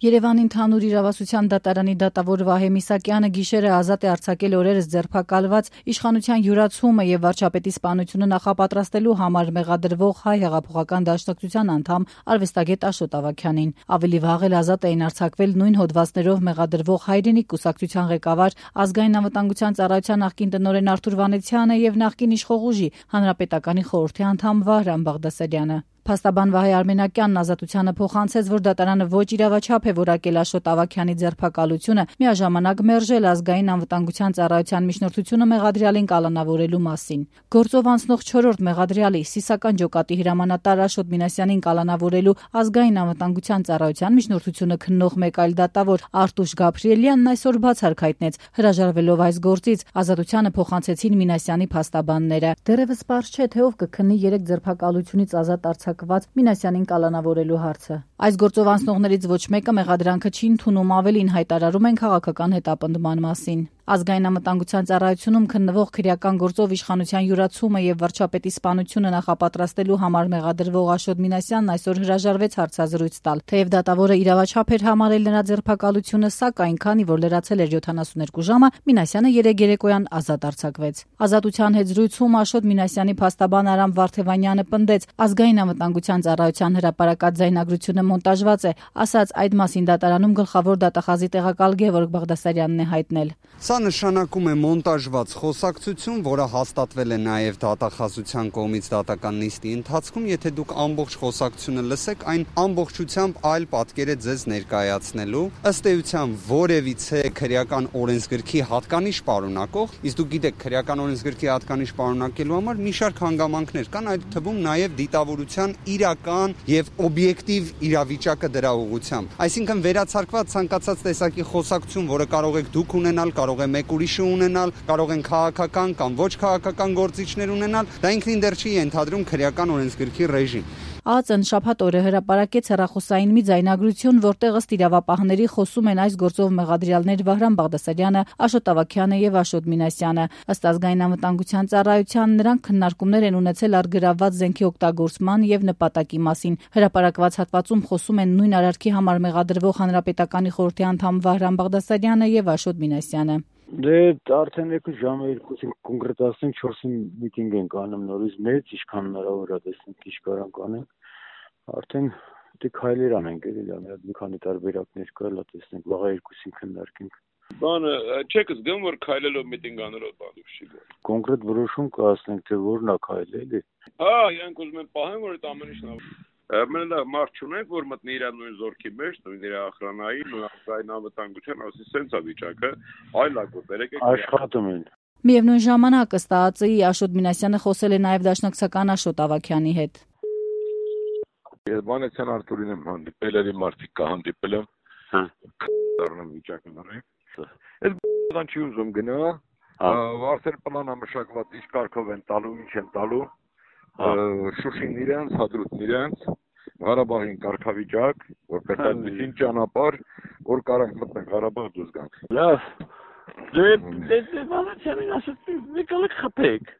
Երևանի ընդհանուր իրավասության դատարանի դատավոր Վահե Միսակյանը գիշերը ազատ է արձակել օրերս ձերբակալված իշխանության յուրացումը եւ վարչապետի սպանությունը նախապատրաստելու համար մեղադրվող Հայ հեղափոխական դաշնակցության անդամ արվեստագետ Աշոտ Ավագյանին։ Ավելի վաղ էլ ազատ էին արձակվել նույն հոդվածներով մեղադրվող Հայրենիք կուսակցության ղեկավար, ազգային անվտանգության ծառայության նախկին տնօրեն Արթուր Վանեցյանը եւ նախկին իշխող ուժի հանրապետականի խորհրդի անդամ Վահրամ Բաղդասարյանը։ Փաստաբան Վահե Արմենակյանն ազատությանը փոխանցեց, որ դատարանը ոչ իրավաչափ է որակել Աշոտ Ավագյանի ձերբակալությունը, միաժամանակ մերժել ազգային անվտանգության ծառայության միջնորդությունը մեղադրյալին կալանավորելու մասին։ Գործով անցնող 4-րդ մեղադրյալի Սիսական ջոկատի հրամանատար Աշոտ Մինասյանին կալանավորելու ազգային անվտանգության ծառայության միջնորդությունը քննող մեկ այլ դատավոր Արտուշ Գաբրիելյանն այսօր բացառք հայտնեց, հրաժարվելով այս գործից, ազատությանը փոխանցեցին Մինասյանի փաստաբանները։ Դեռևս պարզ չէ, թե ով կքննի 3 ձերբակալությունից ազատ արձակված Մինասյանին կալանավորելու հարցը։ Այս գործով անցնողներից ոչ մեկը մեղադրանքը չի ընդունում, ավելին հայտարարում են քաղաքական հետապնդման մասին։ Ազգային անվտանգության ծառայությունում քննվող քրեական գործով իշխանության յուրացումը եւ վարչապետի սպանությունը նախապատրաստելու համար մեղադրվող Աշոտ Մինասյանն այսօր հրաժարվեց հարցազրույց տալ։ Թեև դատավորը իրավաչափ էր համարել նրա ձերբակալությունը, սակայն քանի որ լրացել էր 72 ժամը, Մինասյանը երեկոյան ազատ արձակվեց։ Ազատության հետ զրույցում Աշոտ Մինասյանի փաստաբան Արամ Վարդևանյանը պնդեց, ազգային անվտանգության ծառայության հրապարակած ձայնագրությունը մոնտաժված է, ասաց այդ մասին դատարանում գլխավոր դատախազի տեղակալ Գևորգ Բաղդասարյանն է հայտնել։ Սա նշանակում է մոնտաժված խոսակցություն, որը հաստատվել է նաև դատախազության կողմից դատական նիստի ընթացքում, եթե դուք ամբողջ խոսակցությունը լսեք, այն ամբողջությամբ այլ պատկեր է ձեզ ներկայացնելու, ըստ էության որևիցե քրեական օրենսգրքի հատկանիշ պարունակող, իսկ դուք գիտեք, քրեական օրենսգրքի հատկանիշ պարունակելու համար մի շարք հանգամանքներ կան, այդ թվում նաև դիտավորության իրական եւ օբյեկտիվ իրավիճակը դրա ուղղությամբ։ Այսինքն վերացարկված ցանկացած տեսակի խոսակցություն, որը կարող եք դուք ունենալ, կարող է մեկ ուրիշը ունենալ, կարող են քաղաքական կամ ոչ քաղաքական գործիչներ ունենալ, դա ինքնին դեռ չի ենթադրում քրեական օրենսգրքի ռեժիմ։ ԱԱԾ-ն շաբաթ օրը հրապարակեց հեռախոսային մի ձայնագրություն, որտեղ ըստ իրավապահների խոսում են այս գործով մեղադրյալներ Վահրամ Բաղդասարյանը, Աշոտ Ավագյանը եւ Աշոտ Մինասյանը։ Ըստ ազգային անվտանգության ծառայության նրանք քննարկումներ են ունեցել առգրավված զենքի օգտագործման եւ նպատակի մասին։ Հրապարակված հատվածում խոսում են նույն արարքի համար մեղադրվող հանրապետականի խորհրդի անդամ Վահրամ Բաղդասարյանը եւ Աշոտ Մինասյանը։ Դե արդեն 2 2 կոնկրետացնենք 4-ին միտինգ ենք անում նորից մեծ, ինչքան հնարավոր է տեսնենք ինչ կարանք անենք։ Արդեն դե քայլեր անենք, էլի լավ, մի քանի տարբերակներ կա, լա տեսնենք, վաղը 2-ին քննարկենք։ Բանը չեք զգում, որ քայլելով միտինգ անելով բանը չի գա։ Կոնկրետ որոշում կհասնենք, թե որն է քայլը, էլի։ Հա, իրանք ուզում են պահեն, որ այդ ամեն ինչն է։ Մենք մարդ չունենք, որ մտնի իր նույն զորքի մեջ, նույն իր ախրանայի, նույն ազգային անվտանգության, ասի սենց է վիճակը, այլ ակոտեր եկեք աշխատում են։ Միևնույն ժամանակ ըստ ԱԱԾ-ի Աշոտ Մինասյանը խոսել է նաև դաշնակցական Աշոտ Ավագյանի հետ։ Վանեցյան Արտուրին եմ հանդիպել, էլի մարդիկ կա հանդիպել եմ, դառնեմ վիճակը նռեք։ Այդ բան չի ուզում գնա, արդեն պլան ամշակված ինչ կարգով են տալու, ինչ են տալու, Շուշին իրենց, Հադրութն իրենց, Ղարաբաղին կարգավիճակ, որպես այդպիսին ճանապարհ, որ կարող մտնենք Ղարաբաղ դուրս գանք։ Լավ։ Դե Վանեցյանին ասած մի կալեք խփեք։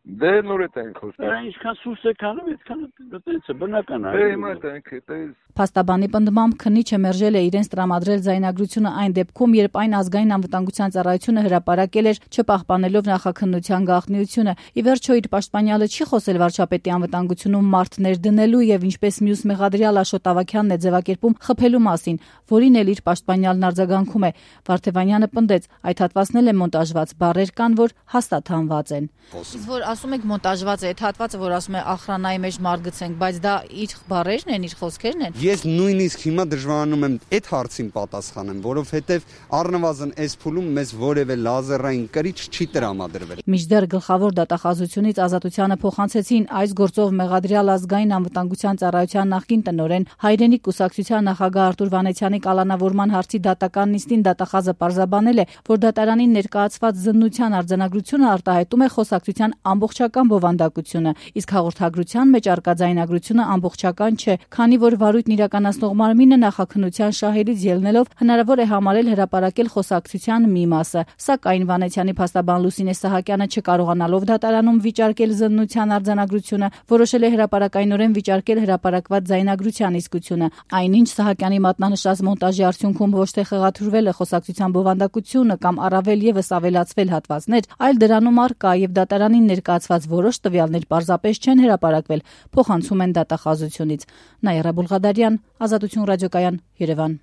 Դե նորետ ենք խոսում։ Ինչքան սուս եք անում, այդքան դե բնական է։ Դե հիմա ենք, դե Փաստաբանի պնդմամբ քննիչը մերժել է իրենց տրամադրել ձայնագրությունը այն դեպքում, երբ այն ազգային անվտանգության ծառայությունը հրապարակել էր, չպահպանելով նախաքննության գաղտնիությունը։ Ի վերջո իր պաշտպանյալը չի խոսել վարչապետի անվտանգությունում մարդներ դնելու եւ ինչպես մյուս մեղադրյալ Աշոտ Ավագյանն է ձևակերպում խփելու մասին, որին էլ իր պաշտպանյալն արձագանքում է։ Վարդևանյանը պնդեց, այդ հատվածն էլ է մոնտաժված, բառեր կան, որ հաստատ հանված են։ Իսկ որ ասում եք մոնտաժված է, այդ հատվածը, որ ասում է ախրանայի մեջ մարդ գցենք, բայց դա իր բառերն են, իր խոսքերն են։ Ես նույնիսկ հիմա դժվարանում եմ այդ հարցին պատասխանեմ, որովհետև առնվազն այս փուլում մեզ որևէ լազերային կրիչ չի տրամադրվել։ Մինչդեռ գլխավոր դատախազությունից ազատությանը փոխանցեցին այս գործով մեղադրյալ ազգային անվտանգության ծառայության նախկին տնօրեն Հայրենիք կուսակցության նախագահ Արթուր Վանեցյանի կալանավորման հարցի դատական նիստին դատախազը պարզաբանել է, որ դատարանին ներկայացված զննության արձանագրությունը արտահայտում է խոսակցության ամբողջական բովանդակությունը, իսկ հաղորդագրության մեջ առկա ձայնագրությունը ամբողջական չէ, քանի որ վարույթն իրականացնող մարմինը նախաքննության շահերից ելնելով հնարավոր է համարել հրապարակել խոսակցության մի մասը, սակայն Վանեցյանի փաստաբան Լուսինե Սահակյանը չկարողանալով դատարանում վիճարկել զննության արձանագրությունը, որոշել է հրապարակայնորեն վիճարկել հրապարակված ձայնագրության իսկությունը, այնինչ Սահակյանի մատնանշած մոնտաժի արդյունքում ոչ թե խեղաթյուրվել է խոսակցության բովանդակությունը կամ առավել ևս ավելացվել հատվածներ, այլ դրանում առկա եւ դատարանին ներկայացված որոշ տվյալներ պարզապես չեն հրապարակվել, փոխանցում են դատախազությունից։ Նաիրա Բուլղադարյան, Ազատություն ռադիոկայան, Երևան։